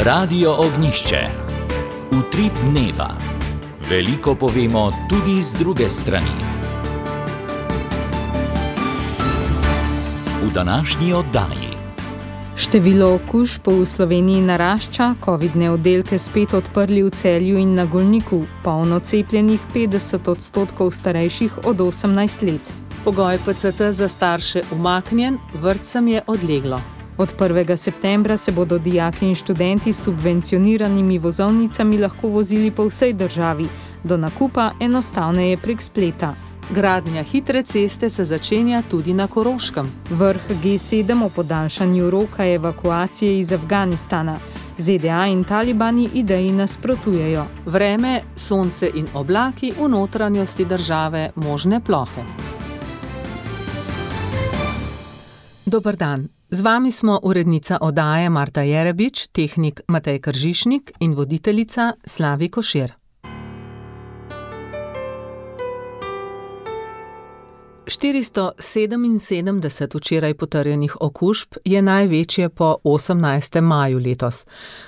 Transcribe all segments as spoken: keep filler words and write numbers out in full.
Radio Ognišče. Utrip dneva. Veliko povemo tudi z druge strani. V današnji oddaji. Število okužb v Sloveniji narašča, covidne oddelke spet odprli v Celju in na Golniku, polno cepljenih petdeset odstotkov starejših od osemnajst let. Pogoj P C T za starše umaknjen, vrtcem je odleglo. Od prvega septembra se bodo dijaki in študenti s subvencioniranimi vozovnicami lahko vozili po vsej državi, do nakupa enostavneje prek spleta. Gradnja hitre ceste se začenja tudi na Koroškem. Vrh G sedem o podaljšanju roka evakuacije iz Afganistana. Z D A in talibani ideji nasprotujejo. Vreme, sonce in oblaki v notranjosti države, možne plohe. Dober dan. Z vami smo urednica oddaje Marta Jerebič, tehnik Matej Kržišnik in voditeljica Slavi Košir. štiristo sedeminsedemdeset včeraj potrjenih okužb je največje po osemnajstem maju letos.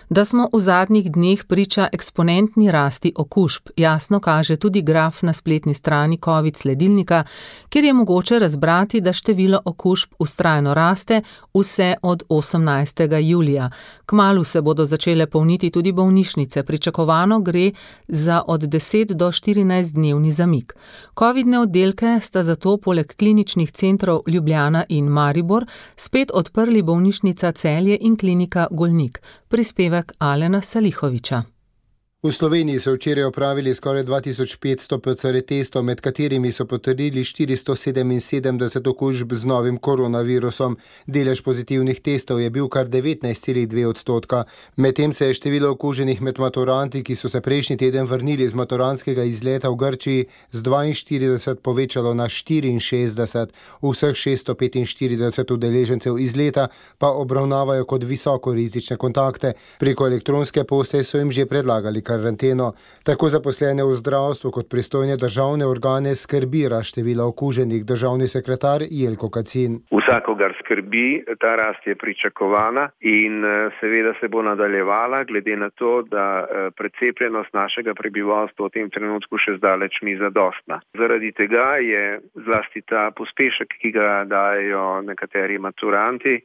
Da smo v zadnjih dneh priča eksponentni rasti okužb, jasno kaže tudi graf na spletni strani COVID sledilnika, kjer je mogoče razbrati, da število okužb vztrajno raste vse od osemnajstega julija. Kmalu se bodo začele polniti tudi bolnišnice, pričakovano gre za od deset do štirinajst dnevni zamik. Covidne oddelke sta zato poleg kliničnih centrov Ljubljana in Maribor spet odprli bolnišnica Celje in klinika Golnik. Prispevek Alena Salihoviča. V Sloveniji so včeraj opravili skoraj dva tisoč petsto P C R testov, med katerimi so potrdili štiristo sedeminsedemdeset okužb z novim koronavirusom. Delež pozitivnih testov je bil kar devetnajst celih dve odstotka. Medtem se je število okuženih med maturanti, ki so se prejšnji teden vrnili z maturantskega izleta v Grčiji, z dvainštirideset povečalo na štiriinšestdeset. Vseh šeststo petinštirideset udeležencev izleta pa obravnavajo kot visoko rizične kontakte. Preko elektronske pošte so jim že predlagali karanteno. Tako zaposlene v zdravstvu kot pristojne državne organe skrbi rast števila okuženih. Državni sekretar Jelko Kacin. Vsakogar skrbi, ta rast je pričakovana in seveda se bo nadaljevala, glede na to, da precepljenost našega prebivalstva v tem trenutku še zdaleč ni zadostna. Zaradi tega je zlasti ta pospešek, ki ga dajo nekateri maturanti,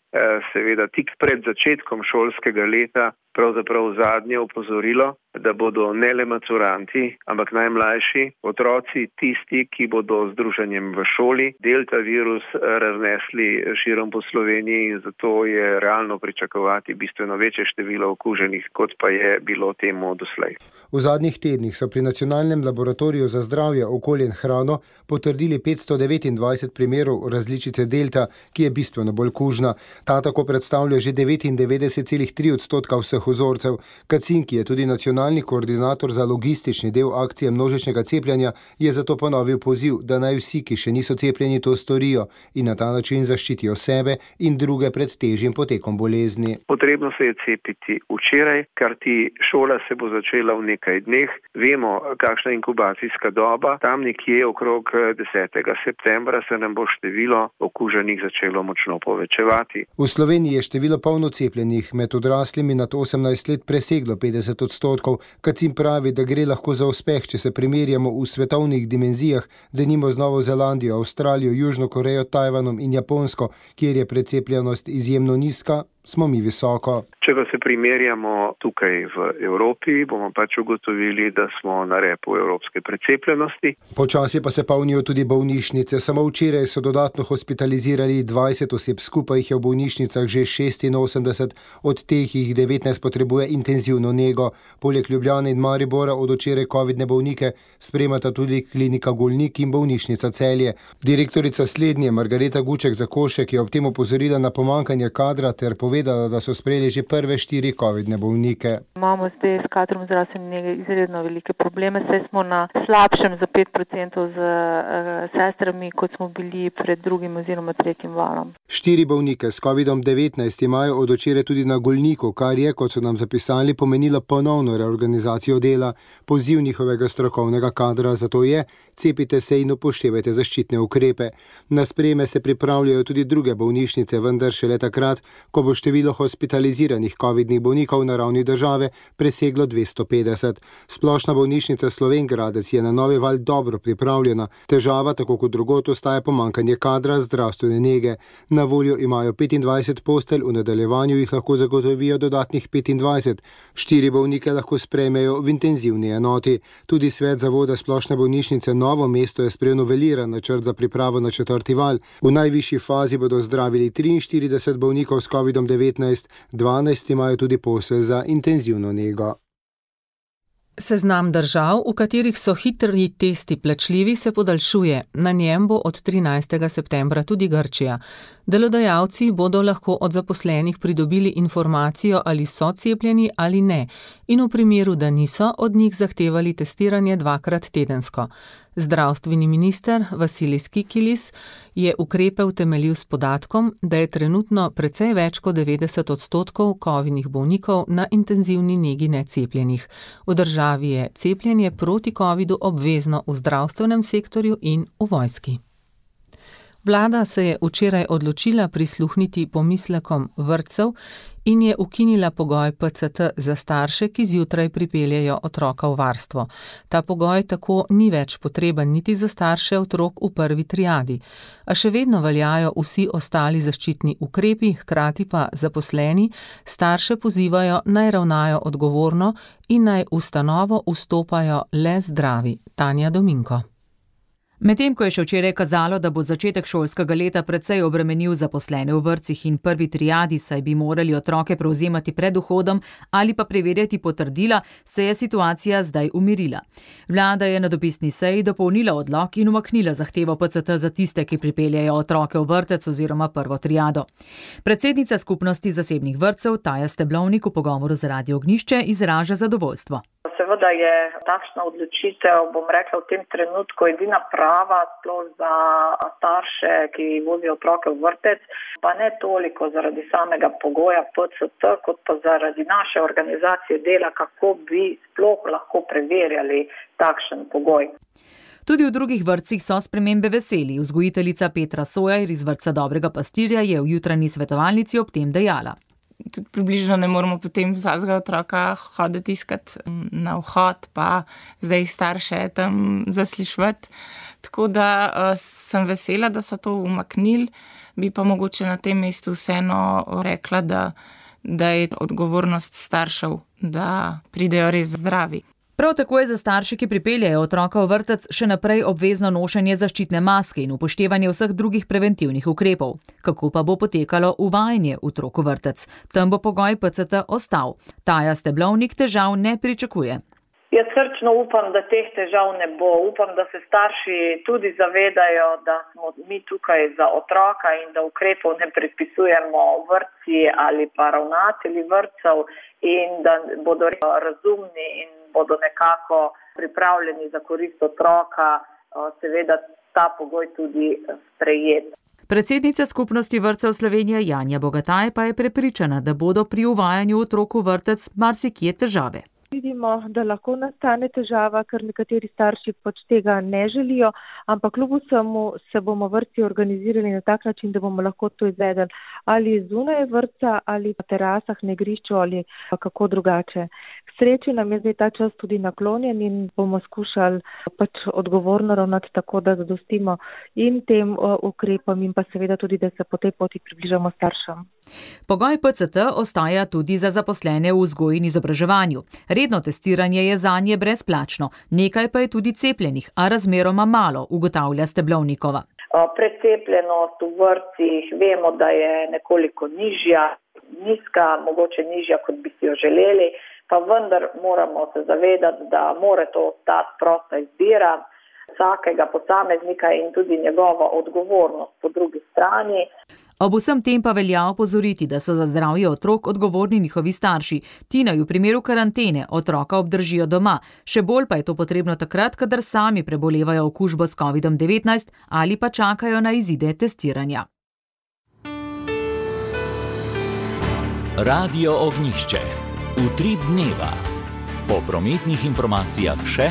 seveda tik pred začetkom šolskega leta pravzaprav zadnje opozorilo, da bodo ne le maturanti, ampak najmlajši otroci tisti, ki bodo z druženjem v šoli delta virus raznesli širom po Sloveniji in zato je realno pričakovati bistveno večje število okuženih, kot pa je bilo temu doslej. V zadnjih tednih so pri Nacionalnem laboratoriju za zdravje, okolje in hrano potrdili petsto devetindvajset primerov različice delta, ki je bistveno bolj kužna. Ta tako predstavlja že devetindevetdeset celih tri odstotka vseh vzorcev. Kacin, ki je tudi nacionalni koordinator za logistični del akcije množičnega cepljenja, je zato ponovil poziv, da naj vsi, ki še niso cepljeni, to storijo in na ta način zaščitijo sebe in druge pred težjim potekom bolezni. Potrebno se je cepiti včeraj, kar ti šola se bo začela v nekaj dneh. Vemo, kakšna inkubacijska doba. Tam nekje okrog desetega septembra se nam bo število okuženih začelo močno povečevati. V Sloveniji je število polno cepljenih med odraslimi nad osemnajst let preseglo petdeset odstotkov. Kacin pravi, da gre lahko za uspeh, če se primerjamo v svetovnih dimenzijah, denimo z Novo Zelandijo, Avstralijo, Južno Korejo, Tajvanom in Japonsko, kjer je precepljenost izjemno nizka, smo mi visoko. Če pa se primerjamo tukaj v Evropi, bomo pač ugotovili, da smo na repu evropske precepljenosti. Počasi pa se polnijo tudi bolnišnice. Samo včeraj so dodatno hospitalizirali dvajset oseb, skupaj jih je v bolnišnicah že šestinosemdeset, od teh jih devetnajst potrebuje intenzivno nego. Poleg Ljubljane in Maribora od včeraj covidne bolnike spremata tudi klinika Golnik in bolnišnica Celje. Direktorica slednje Margareta Guček-Zakošek je ob tem opozorila na pomanjkanje kadra ter povedala, da so sprejeli že prve štiri covidne bolnike. Imamo zdaj s kadrom zdravstvene nege izredno velike probleme, saj smo na slabšem za pet procentov z uh, sestrami, kot smo bili pred drugim oziroma tretjim valom. Štiri bolnike s covidom devetnajst imajo od včeraj tudi na Golniku, kar je, kot so nam zapisali, pomenilo ponovno reorganizacijo dela. Poziv njihovega strokovnega kadra zato je: cepite se in upoštevajte zaščitne ukrepe. Na sprejeme se pripravljajo tudi druge bolnišnice, vendar šele takrat, ko bo število število hospitaliziranih covidnih bolnikov na ravni države preseglo dvesto petdeset. Splošna bolnišnica Slovenj Gradec je na novi val dobro pripravljena. Težava, tako kot drugod, ostaja pomanjkanje kadra zdravstvene nege. Na voljo imajo petindvajset postelj, v nadaljevanju jih lahko zagotovijo dodatnih petindvajset. Štiri bolnike lahko sprejmejo v intenzivni enoti. Tudi svet zavoda Splošne bolnišnice Novo mesto je sprejel noveliran načrt za pripravo na četrti val. V najvišji fazi bodo zdravili triinštirideset bolnikov s covidom devetnajst, dvanajst imajo tudi posel za intenzivno nego. Seznam držav, v katerih so hitri testi plačljivi, se podaljšuje. Na njem bo od trinajstega septembra tudi Grčija. Delodajalci bodo lahko od zaposlenih pridobili informacijo, ali so cepljeni ali ne, in v primeru, da niso, od njih zahtevali testiranje dvakrat tedensko. Zdravstveni minister Vasilis Kikilis je ukrepe utemeljil s podatkom, da je trenutno precej več kot devetdeset odstotkov covidnih bolnikov na intenzivni negi necepljenih. V državi je cepljenje proti covidu obvezno v zdravstvenem sektorju in v vojski. Vlada se je včeraj odločila prisluhniti pomislekom vrtcev in je ukinila pogoj P C T za starše, ki zjutraj pripeljejo otroka v varstvo. Ta pogoj tako ni več potreben niti za starše otrok v prvi triadi, a še vedno veljajo vsi ostali zaščitni ukrepi, hkrati pa zaposleni starše pozivajo, naj ravnajo odgovorno in naj v ustanovo vstopajo le zdravi. Tanja Dominko. Medtem ko je še včeraj kazalo, da bo začetek šolskega leta precej obremenil zaposlene v vrtcih in prvi triadi, saj bi morali otroke prevzemati pred vhodom ali pa preverjati potrdila, se je situacija zdaj umirila. Vlada je na dopisni seji dopolnila odlok in umaknila zahtevo P C T za tiste, ki pripeljejo otroke v vrtec oziroma prvo triado. Predsednica skupnosti zasebnih vrtcev Taja Steblovnik v pogovoru z Radio Ognjišče izraža zadovoljstvo. Seveda je takšna odločitev, bom rekla, v tem trenutku edina prava, sploh za starše, ki vozijo otroke v vrtec, pa ne toliko zaradi samega pogoja P C T, kot pa zaradi naše organizacije dela, kako bi sploh lahko preverjali takšen pogoj. Tudi v drugih vrtcih so spremembe veseli. Vzgojiteljica Petra Sojer iz vrtca Dobrega pastirja je v jutranji svetovalnici ob tem dejala. Tudi približno ne moramo potem vsakega otroka hoditi iskati na vhod, pa zdaj starše tam zaslišvati. Tako da uh, sem vesela, da so to umaknili, bi pa mogoče na tem mestu vseeno rekla, da, da je odgovornost staršev, da pridejo res zdravi. Prav tako je za starše, ki pripeljejo otroka v vrtec, še naprej obvezno nošenje zaščitne maske in upoštevanje vseh drugih preventivnih ukrepov. Kako pa bo potekalo uvajanje otrok v vrtec? Tam bo pogoj P C T ostal. Taja Steblovnik težav ne pričakuje. Jaz srčno upam, da teh težav ne bo. Upam, da se starši tudi zavedajo, da smo mi tukaj za otroka in da ukrepov ne predpisujemo vrtci ali pa ravnatelji vrtcev in da bodo razumni in bodo nekako pripravljeni za korist otroka, seveda ta pogoj tudi sprejet. Predsednica skupnosti vrtcev Slovenije Janja Bogataj pa je prepričana, da bodo pri uvajanju otrok v vrtec marsikje težave. Vidimo, da lahko nastane težava, ker nekateri starši pač tega ne želijo, ampak kljub vsemu se bomo vrtci organizirali na tak način, da bomo lahko to izvedeli ali zunaj vrtca ali na terasah, na igrišču ali kako drugače. K sreči nam je zdaj ta čas tudi naklonjen in bomo skušali pač odgovorno ravnati tako, da zadostimo in tem ukrepom in pa seveda tudi, da se po tej poti približamo staršem. Pogoj P C T ostaja tudi za zaposlene v vzgoji in izobraževanju. Redno testiranje je zanje brezplačno, nekaj pa je tudi cepljenih, a razmeroma malo, ugotavlja Steblovnikova. Precepljenost v vrtcih vemo, da je nekoliko nižja, nizka, mogoče nižja, kot bi si jo želeli, pa vendar moramo se zavedati, da mora to ostati prosta izbira vsakega posameznika in tudi njegova odgovornost po drugi strani. Ob vsem tem pa velja opozoriti, da so za zdravje otrok odgovorni njihovi starši. Ti naj v primeru karantene otroka obdržijo doma, še bolj pa je to potrebno takrat, kadar sami prebolevajo okužbo s covidom devetnajst ali pa čakajo na izide testiranja. Radio Ognjišče. Utrip dneva. Po prometnih informacijah še.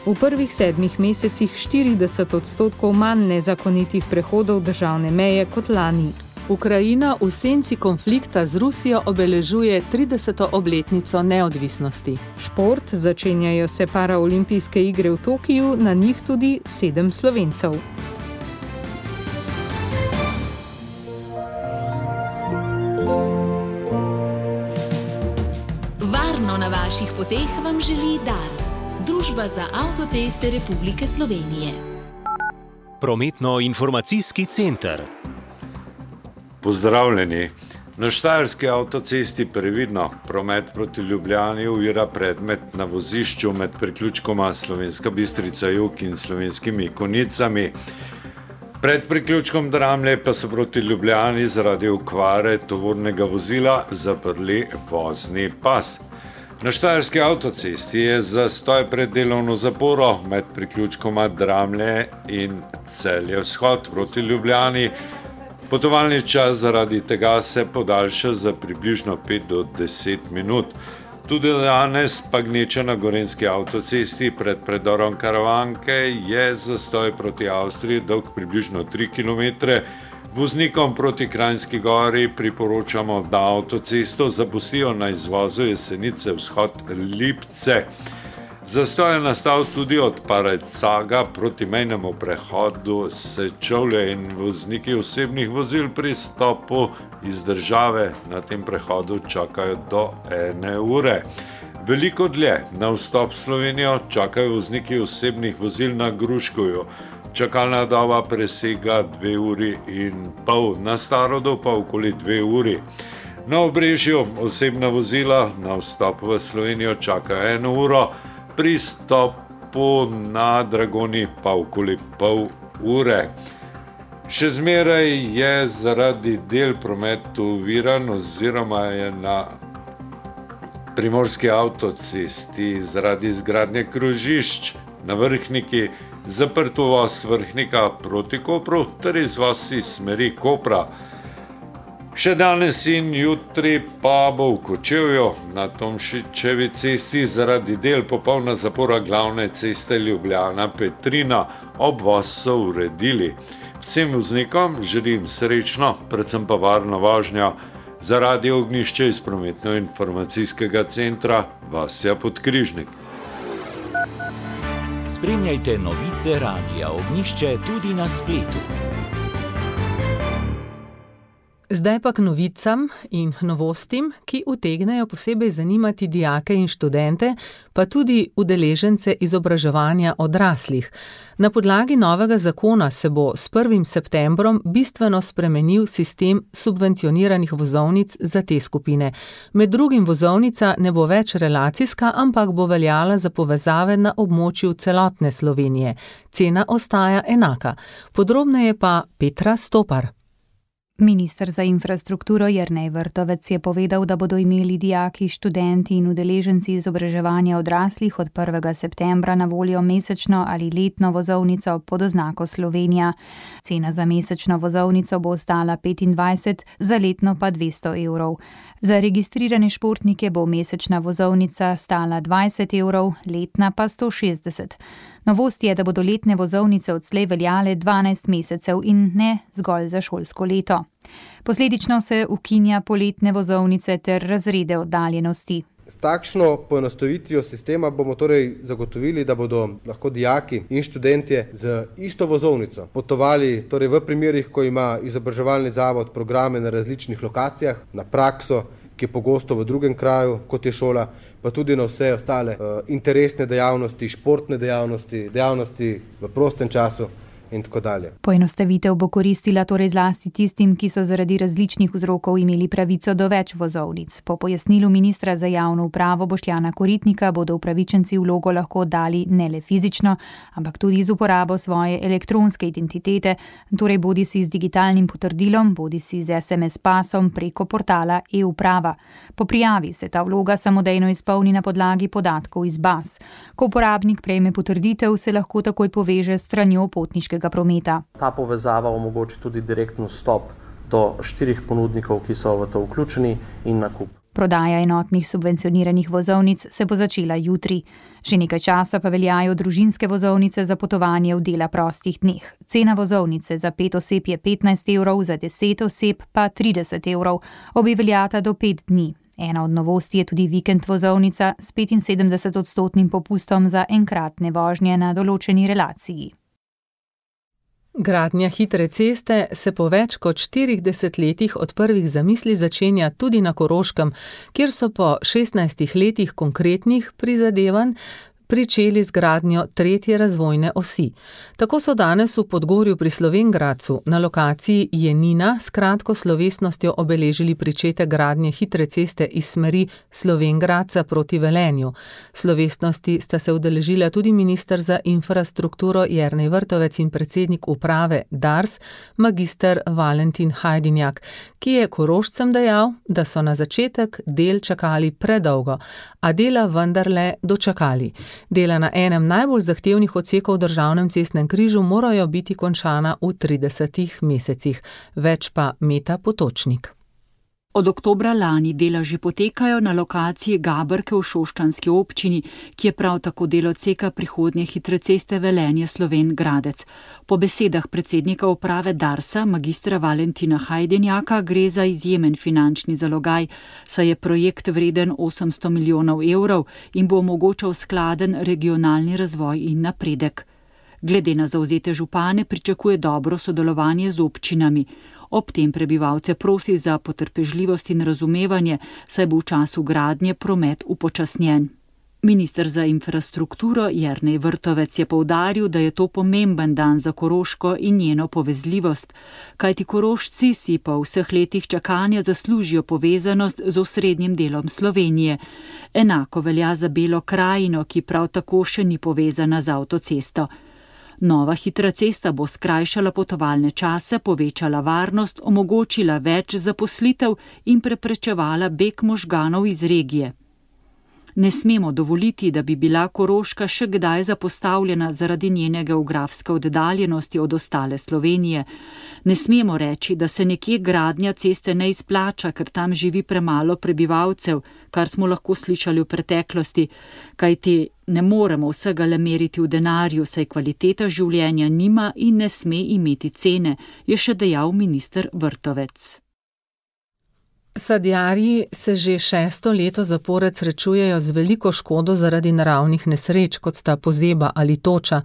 V prvih sedmih mesecih štirideset odstotkov manj nezakonitih prehodov državne meje kot lani. Ukrajina v senci konflikta z Rusijo obeležuje trideseto obletnico neodvisnosti. Šport, začenjajo se paraolimpijske igre v Tokiju, na njih tudi sedem Slovencev. Varno na vaših poteh vam želi Dars, Družba za avtoceste Republike Slovenije. Prometno-informacijski center. Pozdravljeni. Na štajerski avtocesti previdno. Promet proti Ljubljani ovira predmet na vozišču med priključkoma Slovenska Bistrica Jug in Slovenskimi Konicami. Pred priključkom Dramlje pa so proti Ljubljani zaradi okvare tovornega vozila zaprli vozni pas. Na štajerski avtocesti je zastoj pred delovno zaporo med priključkoma Dramlje in Celje Vzhod proti Ljubljani. Potovalni čas zaradi tega se podaljša za približno pet do deset minut. Tudi danes pa gneča na gorenjski avtocesti pred predorom Karavanke je zastoj proti Avstriji dolg približno tri kilometre. Voznikom proti Kranjski Gori priporočamo, da avtocesto zapustijo na izvozu Jesenice Vzhod Lipce. Zastoj je nastal tudi od Parecaga proti mejnemu prehodu Sečovlje in vozniki osebnih vozil pri stopu iz države na tem prehodu čakajo do ene ure. Veliko dlje na vstop v Slovenijo čakajo vozniki osebnih vozil na Gruškovju. Čakalna doba presega dve uri in pol, na Starodu pa okoli dve uri. Na Obrežju osebna vozila na vstop v Slovenijo čakajo eno uro, pri stopu na Dragoni pa okoli pol ure. Še zmeraj je zaradi del prometu oviran oziroma je na primorski avtocesti zaradi izgradnje krožišč na Vrhniki zaprt uvoz Vrhnika proti Kopru ter izvoz iz smeri Kopra. Še danes in jutri pa bo v Kočevju na Tomšičevi cesti zaradi del popolna zapora glavne ceste Ljubljana-Petrina. Obvoz so uredili. Vsem voznikom želim srečno, predvsem pa varno vožnjo. Za Radio Ognjišče iz prometno-informacijskega centra Vasja Podkrižnik. Spremljajte novice Radia Ognjišče tudi na spletu. Zdaj pa k novicam in novostim, ki utegnejo posebej zanimati dijake in študente, pa tudi udeležence izobraževanja odraslih. Na podlagi novega zakona se bo s prvim septembrom bistveno spremenil sistem subvencioniranih vozovnic za te skupine. Med drugim vozovnica ne bo več relacijska, ampak bo veljala za povezave na območju celotne Slovenije. Cena ostaja enaka. Podrobneje pa Petra Stopar. Minister za infrastrukturo Jernej Vrtovec je povedal, da bodo imeli dijaki, študenti in udeleženci izobraževanja odraslih od prvega septembra na voljo mesečno ali letno vozovnico pod oznako Slovenija. Cena za mesečno vozovnico bo ostala petindvajset, za letno pa dvesto evrov. Za registrirane športnike bo mesečna vozovnica stala dvajset evrov, letna pa sto šestdeset. Novost je, da bodo letne vozovnice odslej veljale dvanajst mesecev in ne zgolj za šolsko leto. Posledično se ukinja poletne vozovnice ter razrede oddaljenosti. S takšno poenostavitvijo sistema bomo torej zagotovili, da bodo lahko dijaki in študentje z isto vozovnico potovali torej v primerih, ko ima izobraževalni zavod programe na različnih lokacijah, na prakso, ki je pogosto v drugem kraju, kot je šola, pa tudi na vse ostale uh, interesne dejavnosti, športne dejavnosti, dejavnosti v prostem času in tako dalje. Poenostavitev bo koristila torej zlasti tistim, ki so zaradi različnih vzrokov imeli pravico do več vozovnic. Po pojasnilu ministra za javno upravo Boštjana Koritnika bodo upravičenci vlogo lahko dali ne le fizično, ampak tudi z uporabo svoje elektronske identitete, torej bodisi z digitalnim potrdilom, bodisi z es em es pasom preko portala e-uprava. Po prijavi se ta vloga samodejno izpolni na podlagi podatkov iz baz. Ko uporabnik prejme potrditev, se lahko takoj poveže s stranjo potniškega prometa. Ta povezava omogoči tudi direktno vstop do štirih ponudnikov, ki so v to vključeni, in nakup. Prodaja enotnih subvencioniranih vozovnic se bo začela jutri. Že nekaj časa pa veljajo družinske vozovnice za potovanje v dela prostih dneh. Cena vozovnice za pet oseb je petnajst evrov, za deset oseb pa trideset evrov. Obe veljata do pet dni. Ena od novosti je tudi vikend vozovnica s petinsedemdeset odstotnim popustom za enkratne vožnje na določeni relaciji. Gradnja hitre ceste se po več kot štirih desetletjih od prvih zamisli začenja tudi na Koroškem, kjer so po šestnajstih letih konkretnih prizadevanj pričeli z gradnjo tretje razvojne osi. Tako so danes v Podgorju pri Slovenj Gradcu na lokaciji Jenina s kratko slovesnostjo obeležili pričetek gradnje hitre ceste iz smeri Slovenj Gradca proti Velenju. Slovesnosti sta se udeležila tudi minister za infrastrukturo Jernej Vrtovec in predsednik uprave Dars, magister Valentin Hajdinjak, ki je Korošcem dejal, da so na začetek del čakali predolgo, a dela vendarle dočakali. Dela na enem najbolj zahtevnih odsekov v državnem cestnem križu morajo biti končana v tridesetih mesecih. Več pa Meta Potočnik. Od oktobra lani dela že potekajo na lokaciji Gaberke v Šoštanjski občini, ki je prav tako del odseka prihodnje hitre ceste Velenje-Slovenj Gradec. Po besedah predsednika uprave Darsa, magistra Valentina Hajdinjaka, gre za izjemen finančni zalogaj, saj je projekt vreden osemsto milijonov evrov in bo omogočal skladen regionalni razvoj in napredek. Glede na zavzete župane pričakuje dobro sodelovanje z občinami. Ob tem prebivalce prosi za potrpežljivost in razumevanje, saj bo v času gradnje promet upočasnjen. Minister za infrastrukturo Jernej Vrtovec je poudaril, da je to pomemben dan za Koroško in njeno povezljivost, kajti Korošci si po vseh letih čakanja zaslužijo povezanost z osrednjim delom Slovenije. Enako velja za Belo krajino, ki prav tako še ni povezana z avtocesto. Nova hitra cesta bo skrajšala potovalne čase, povečala varnost, omogočila več zaposlitev in preprečevala beg možganov iz regije. Ne smemo dovoliti, da bi bila Koroška še kdaj zapostavljena zaradi njene geografske oddaljenosti od ostale Slovenije. Ne smemo reči, da se nekje gradnja ceste ne izplača, ker tam živi premalo prebivalcev, kar smo lahko slišali v preteklosti, kajti ne moremo vsega le meriti v denarju, saj kvaliteta življenja nima in ne sme imeti cene, je še dejal minister Vrtovec. Sadjarji se že šesto leto zapored srečujejo z veliko škodo zaradi naravnih nesreč, kot sta pozeba ali toča.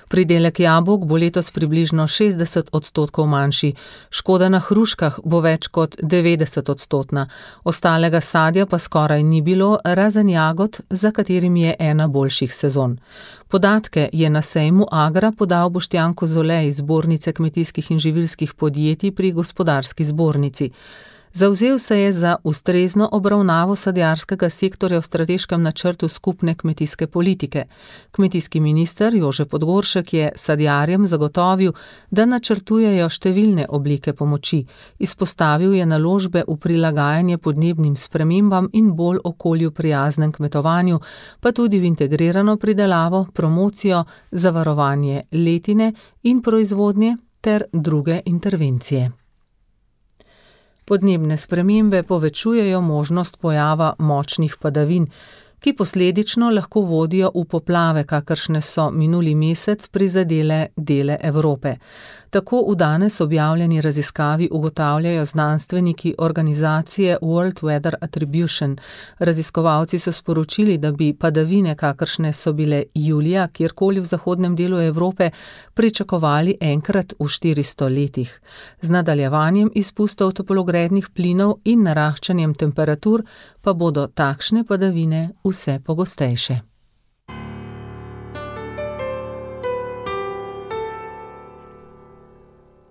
Pridelek jabolk bo letos približno šestdeset odstotkov manjši, škoda na hruškah bo več kot devetdeset odstotna, ostalega sadja pa skoraj ni bilo, razen jagod, za katerim je ena boljših sezon. Podatke je na sejmu Agra podal Boštjan Kozolej iz Zbornice kmetijskih in živilskih podjetij pri Gospodarski zbornici. Zavzel se je za ustrezno obravnavo sadjarskega sektorja v strateškem načrtu skupne kmetijske politike. Kmetijski minister Jože Podgoršek je sadjarjem zagotovil, da načrtujejo številne oblike pomoči. Izpostavil je naložbe v prilagajanje podnebnim spremembam in bolj okolju prijaznem kmetovanju, pa tudi v integrirano pridelavo, promocijo, zavarovanje letine in proizvodnje ter druge intervencije. Podnebne spremembe povečujejo možnost pojava močnih padavin, ki posledično lahko vodijo v poplave, kakršne so minuli mesec prizadele dele Evrope. Tako v danes objavljeni raziskavi ugotavljajo znanstveniki organizacije World Weather Attribution. Raziskovalci so sporočili, da bi padavine, kakršne so bile julija, kjerkoli v zahodnem delu Evrope, pričakovali enkrat v štiristo letih. Z nadaljevanjem izpustov toplogrednih plinov in naraščanjem temperatur pa bodo takšne padavine vse pogostejše.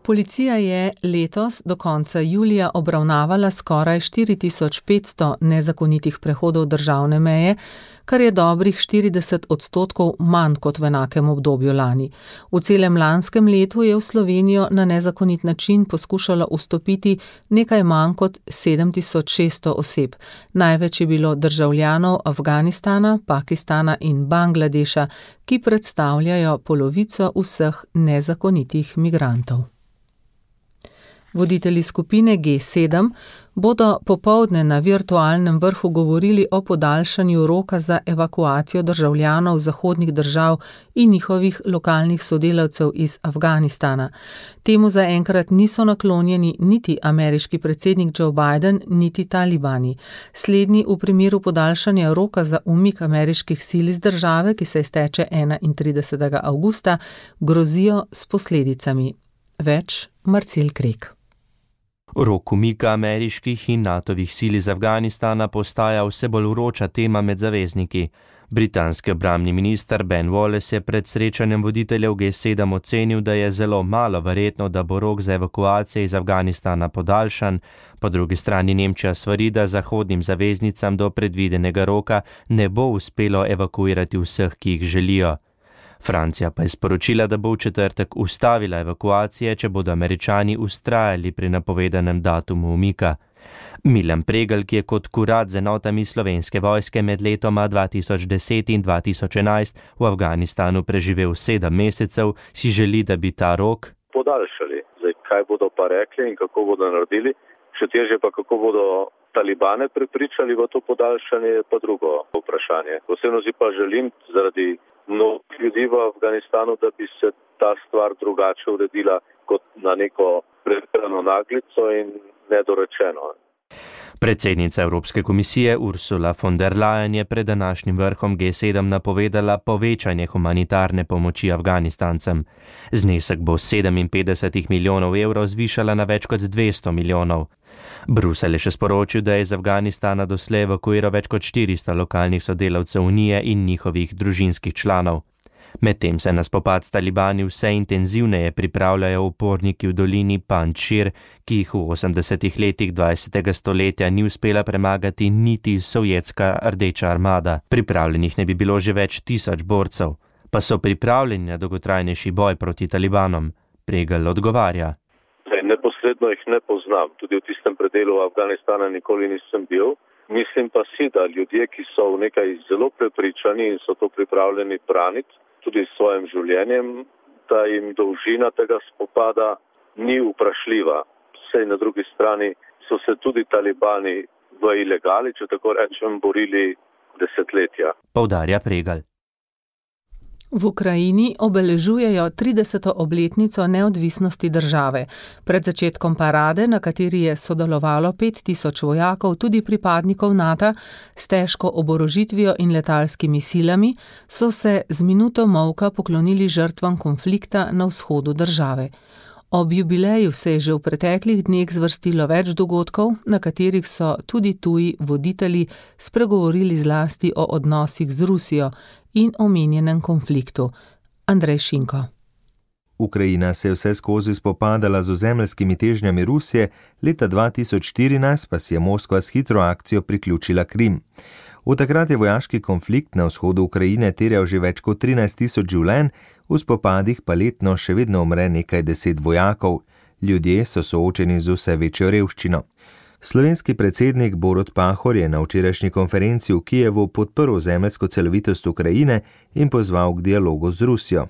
Policija je letos do konca julija obravnavala skoraj štiri tisoč petsto nezakonitih prehodov državne meje, kar je dobrih štirideset odstotkov manj kot v enakem obdobju lani. V celem lanskem letu je v Slovenijo na nezakonit način poskušalo vstopiti nekaj manj kot sedem tisoč šeststo oseb. Največ je bilo državljanov Afganistana, Pakistana in Bangladeša, ki predstavljajo polovico vseh nezakonitih migrantov. Voditelji skupine G sedem bodo popoldne na virtualnem vrhu govorili o podaljšanju roka za evakuacijo državljanov zahodnih držav in njihovih lokalnih sodelavcev iz Afganistana. Temu zaenkrat niso naklonjeni niti ameriški predsednik Joe Biden, niti talibani. Slednji v primeru podaljšanja roka za umik ameriških sil iz države, ki se izteče enaintridesetega avgusta, grozijo s posledicami. Več Marcel Krek. Rok umika ameriških in natovih sil iz Afganistana postaja vse bolj vroča tema med zavezniki. Britanski obrambni minister Ben Wallace je pred srečanjem voditeljev G sedem ocenil, da je zelo malo verjetno, da bo rok za evakuacijo iz Afganistana podaljšan. Po drugi strani Nemčija svari, da zahodnim zaveznicam do predvidenega roka ne bo uspelo evakuirati vseh, ki jih želijo. Francija pa je sporočila, da bo v četrtek ustavila evakuacije, če bodo Američani ustrajali pri napovedanem datumu umika. Milan Pregl, ki je kot kurat z enotami slovenske vojske med letoma dva tisoč deset in dva tisoč enajst v Afganistanu preživel sedem mesecev, si želi, da bi ta rok podaljšali. Zdaj, kaj bodo pa rekli in kako bodo naredili, še težje pa kako bodo talibane prepričali v to podaljšanje, je pa drugo vprašanje. Osebno si pa želim zaradi mnogih ljudi v Afganistanu, da bi se ta stvar drugače uredila kot na neko pretirano naglico in nedorečeno. Predsednica Evropske komisije Ursula von der Leyen je pred današnjim vrhom G sedem napovedala povečanje humanitarne pomoči Afganistancem. Znesek bo sedeminpetdeset milijonov evrov zvišala na več kot dvesto milijonov. Bruselj je še sporočil, da je iz Afganistana doslej evakuiral več kot štiristo lokalnih sodelavcev Unije in njihovih družinskih članov. Medtem se na spopad s talibani vse intenzivneje pripravljajo uporniki v dolini Panjšir, ki jih v osemdesetih letih dvajsetega stoletja ni uspela premagati niti sovjetska rdeča armada. Pripravljenih ne bi bilo že več tisoč borcev, pa so pripravljeni na dolgotrajnejši boj proti talibanom. Pregl odgovarja. Neposredno jih ne poznam, tudi v tistem predelu Afganistana nikoli nisem bil. Mislim pa si, da ljudje, ki so v nekaj zelo prepričani in so to pripravljeni braniti, tudi s svojim življenjem, da jim dolžina tega spopada ni vprašljiva. Sej na drugi strani so se tudi talibani v ilegali, če tako rečem, borili desetletja. Poudarja Pregl. V Ukrajini obeležujejo trideseto obletnico neodvisnosti države. Pred začetkom parade, na kateri je sodelovalo pet tisoč vojakov, tudi pripadnikov NATO, s težko oborožitvijo in letalskimi silami, so se z minuto molka poklonili žrtvam konflikta na vzhodu države. Ob jubileju se je že v preteklih dneh zvrstilo več dogodkov, na katerih so tudi tuji voditelji spregovorili zlasti o odnosih z Rusijo in omenjenem konfliktu. Andrej Šinko. Ukrajina se je vse skozi spopadala z ozemeljskimi težnjami Rusije, leta dva tisoč štirinajst pa si je Moskva s hitro akcijo priključila Krim. Od takrat je vojaški konflikt na vzhodu Ukrajine terjal že več kot trinajst tisoč življenj, v spopadih pa letno še vedno umre nekaj deset vojakov. Ljudje so soočeni z vse večjo revščino. Slovenski predsednik Borut Pahor je na včerajšnji konferenci v Kijevu podprl ozemeljsko celovitost Ukrajine in pozval k dialogu z Rusijo.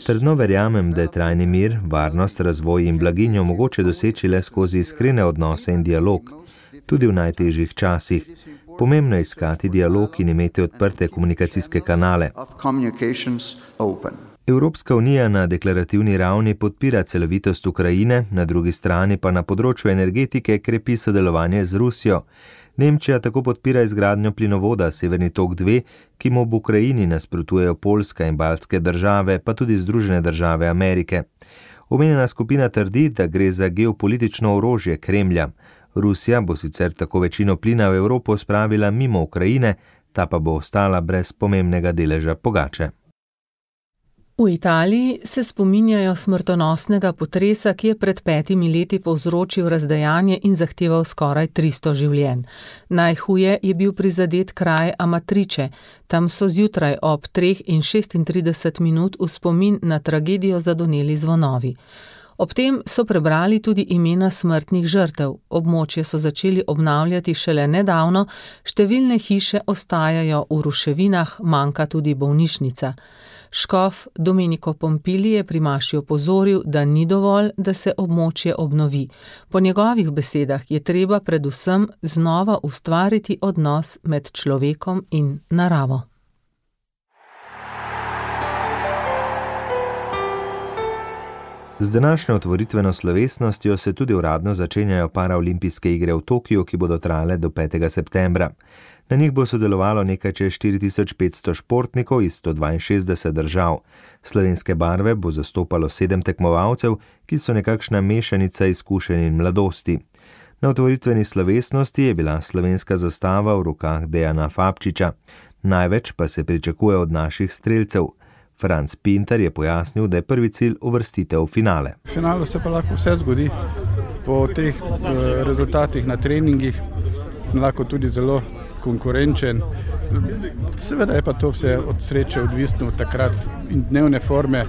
Trdno verjamem, da je trajni mir, varnost, razvoj in blaginjo mogoče doseči le skozi iskrene odnose in dialog, tudi v najtežjih časih. Pomembno je iskati dialog in imeti odprte komunikacijske kanale. Evropska unija na deklarativni ravni podpira celovitost Ukrajine, na drugi strani pa na področju energetike krepi sodelovanje z Rusijo. Nemčija tako podpira izgradnjo plinovoda Severni tok dve, ki mu v Ukrajini nasprotujejo Poljska in baltske države, pa tudi Združene države Amerike. Omenjena skupina trdi, da gre za geopolitično orožje Kremlja. Rusija bo sicer tako večino plina v Evropo spravila mimo Ukrajine, ta pa bo ostala brez pomembnega deleža pogače. V Italiji se spominjajo smrtonosnega potresa, ki je pred petimi leti povzročil razdejanje in zahteval skoraj tristo življenj. Najhuje je bil prizadet kraj Amatrice. Tam so zjutraj ob treh in šestintrideset minut v spomin na tragedijo zadoneli zvonovi. Ob tem so prebrali tudi imena smrtnih žrtev. Območje so začeli obnavljati šele nedavno, številne hiše ostajajo v ruševinah, manjka tudi bolnišnica. Škof Domenico Pompili je pri maši opozoril, da ni dovolj, da se območje obnovi. Po njegovih besedah je treba predvsem znova ustvariti odnos med človekom in naravo. Z današnjo otvoritveno slovesnostjo se tudi uradno začenjajo paraolimpijske igre v Tokiu, ki bodo trajale do petega septembra. Na njih bo sodelovalo nekaj čez štiri tisoč petsto športnikov iz sto dvainšestdeset držav. Slovenske barve bo zastopalo sedem tekmovalcev, ki so nekakšna mešanica izkušenj in mladosti. Na otvoritveni slovesnosti je bila slovenska zastava v rokah Dejana Fabčiča. Največ pa se pričakuje od naših strelcev. Franc Pintar je pojasnil, da je prvi cilj uvrstitev v finale. V finalu se pa lahko vse zgodi. Po teh uh, rezultatih na treningih sem lahko tudi zelo konkurenčen. Seveda je pa to vse od sreče odvisno od takrat in dnevne forme.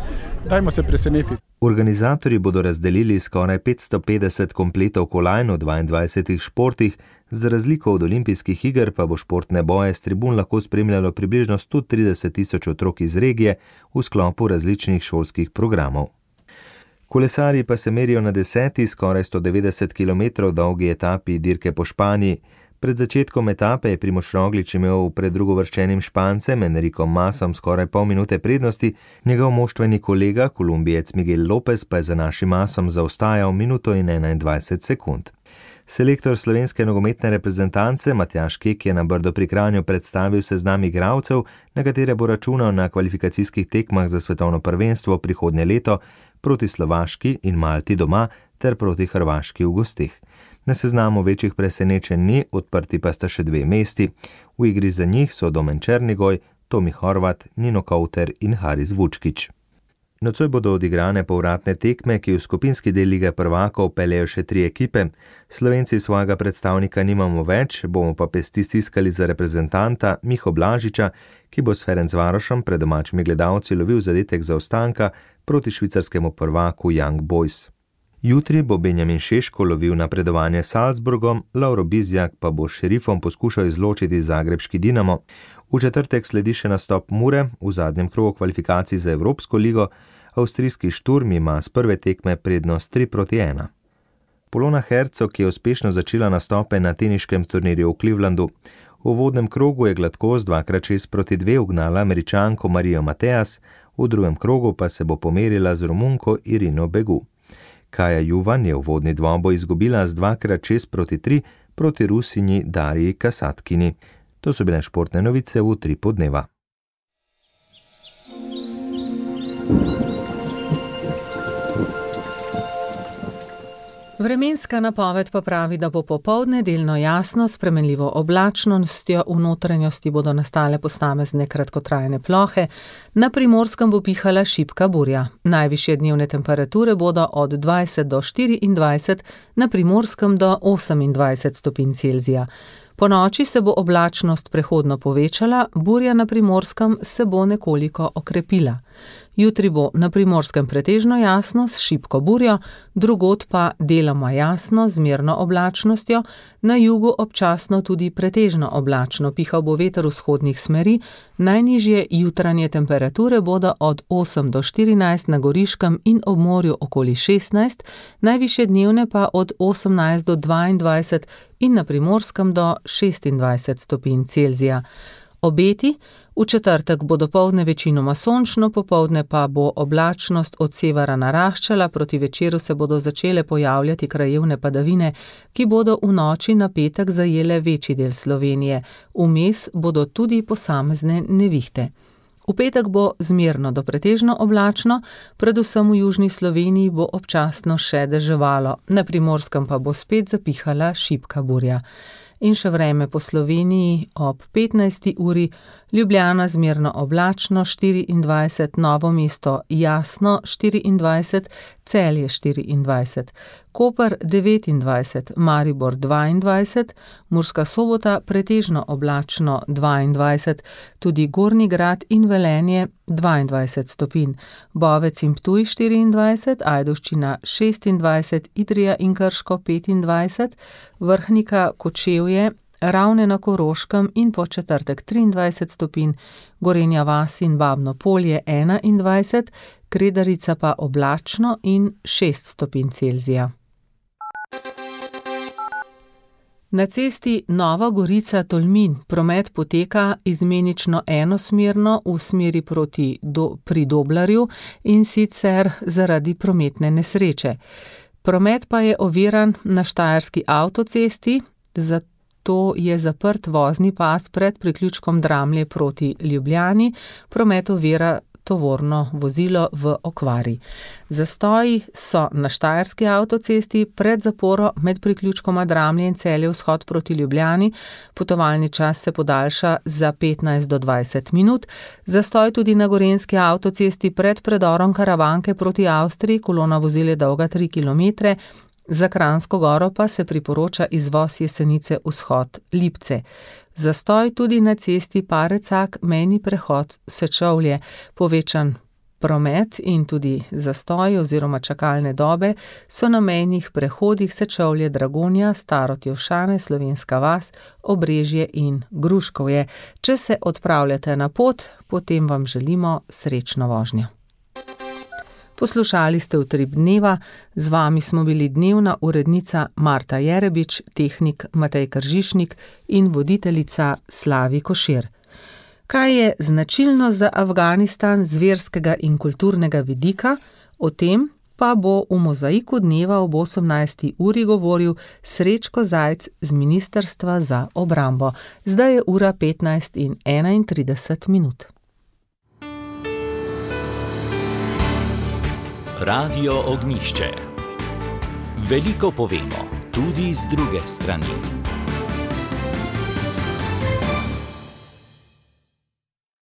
Dajmo se presenetiti. Organizatorji bodo razdelili skoraj petsto petdeset kompletov kolajn v dvaindvajsetih športih, za razliko od olimpijskih iger pa bo športne boje s tribun lahko spremljalo približno sto trideset tisoč otrok iz regije v sklopu različnih šolskih programov. Kolesarji pa se merijo na deseti, skoraj sto devetdeset kilometrov dolgi etapi dirke po Španiji. Pred začetkom etape je Primož Roglič imel pred drugovrščenim Špancem Enricom Masom skoraj pol minute prednosti, njegov moštveni kolega, Kolumbijec Miguel Lopez, pa je za našim Masom zaostajal minuto in enaindvajset sekund. Selektor slovenske nogometne reprezentance Matjaž Kek je na Brdo pri Kranju predstavil seznam igralcev, na katere bo računal na kvalifikacijskih tekmah za svetovno prvenstvo prihodnje leto proti Slovaški in Malti doma ter proti Hrvaški v gosteh. Na seznamu večjih presenečenj ni, odprti pa sta še dve mesti. V igri za njih so Domen Černigoj, Tomi Horvat, Nino Kauter in Haris Vučkić. Nocoj bodo odigrane povratne tekme, ki v skupinski del Lige prvakov peljejo še tri ekipe. Slovenci svojega predstavnika nimamo več, bomo pa pesti stiskali za reprezentanta Miho Blažiča, ki bo s Ferencvarošem pred domačimi gledalci lovil zadetek zaostanka proti švicarskemu prvaku Young Boys. Jutri bo Benjamin Šeško lovil napredovanje s Salzburgom, Lauro Bizjak pa bo s Šerifom poskušal izločiti zagrebški Dinamo. V četrtek sledi še nastop Mure v zadnjem krogu kvalifikacij za Evropsko ligo, avstrijski Šturm ima s prve tekme prednost tri proti ena. Polona Hercog je uspešno začela nastope na teniškem turnirju v Clevelandu. V uvodnem krogu je gladkost dvakrat šest proti dve ugnala Američanko Marijo Mateas, v drugem krogu pa se bo pomerila z Romunko Irino Begu. Kaja Juvan je uvodni dvoboj izgubila z dvakrat šest proti tri proti Rusinji Dariji Kasatkini. To so bile športne novice v Utripu dneva. Vremenska napoved pa pravi, da bo popoldne delno jasno, s spremenljivo oblačnostjo, v notranjosti bodo nastale posamezne kratkotrajne plohe, na Primorskem bo pihala šibka burja. Najvišje dnevne temperature bodo od dvajset do štiriindvajset, na Primorskem do osemindvajset stopinj Celzija. Po noči se bo oblačnost prehodno povečala, burja na Primorskem se bo nekoliko okrepila. Jutri bo na Primorskem pretežno jasno s šibko burjo, drugod pa deloma jasno z mirno oblačnostjo, na jugu občasno tudi pretežno oblačno, pihal bo veter vzhodnih smeri, najnižje jutranje temperature bodo od osem do štirinajst na Goriškem in ob morju okoli šestnajst, najvišje dnevne pa od osemnajst do dvaindvajset in na Primorskem do šestindvajset stopinj Celzija. Obeti: v četrtek bo dopoldne večinoma sončno, popoldne pa bo oblačnost od severa naraščala, proti večeru se bodo začele pojavljati krajevne padavine, ki bodo v noči na petek zajele večji del Slovenije. Vmes bodo tudi posamezne nevihte. V petek bo zmerno do pretežno oblačno, predvsem v južni Sloveniji bo občasno še deževalo, na Primorskem pa bo spet zapihala šibka burja. In še vreme po Sloveniji ob petnajsti uri: Ljubljana zmerno oblačno štiriindvajset, Novo mesto jasno štiriindvajset, Celje štiriindvajset, Koper devetindvajset, Maribor dvaindvajset, Murska Sobota pretežno oblačno dvaindvajset, tudi Gornji Grad in Velenje dvaindvajset stopinj, Bovec in Ptuj štiriindvajset, Ajdovščina šestindvajset, Idrija in Krško petindvajset, Vrhnika, Kočevje, Ravne na Koroškem in po četrtek triindvajset stopinj, Gorenja vas in Babno Polje enaindvajset, Kredarica pa oblačno in šest stopinj Celzija. Na cesti Nova Gorica-Tolmin promet poteka izmenično enosmerno v smeri proti do, pri Doblarju in sicer zaradi prometne nesreče. Promet pa je oviran na štajerski avtocesti, zato je zaprt vozni pas pred priključkom Dramlje proti Ljubljani, promet ovira tovorno vozilo v okvari. Zastoji so na štajerski avtocesti pred zaporo med priključkoma Dramlje in Celje vzhod proti Ljubljani, potovalni čas se podaljša za petnajst do dvajset minut, zastoj tudi na gorenjski avtocesti pred predorom Karavanke proti Avstriji, kolona vozil je dolga tri kilometre, za Kranjsko Goro pa se priporoča izvoz Jesenice vzhod Lipce. Zastoj tudi na cesti Parecak, mejni prehod Sečovlje, povečan promet in tudi zastoj oziroma čakalne dobe so na mejnih prehodih Sečovlje, Dragonja, Starotjevšane, Slovenska vas, Obrežje in Gruškovje. Če se odpravljate na pot, potem vam želimo srečno vožnjo. Poslušali ste Utrip dneva, z vami smo bili dnevna urednica Marta Jerebič, tehnik Matej Kržišnik in voditeljica Slavi Košir. Kaj je značilno za Afganistan z verskega in kulturnega vidika, o tem pa bo v Mozaiku dneva ob osemnajsti uri govoril Srečko Zajc z Ministrstva za obrambo. Zdaj je ura petnajst in enaintrideset minut. Radio Ognjišče. Veliko povemo, tudi z druge strani.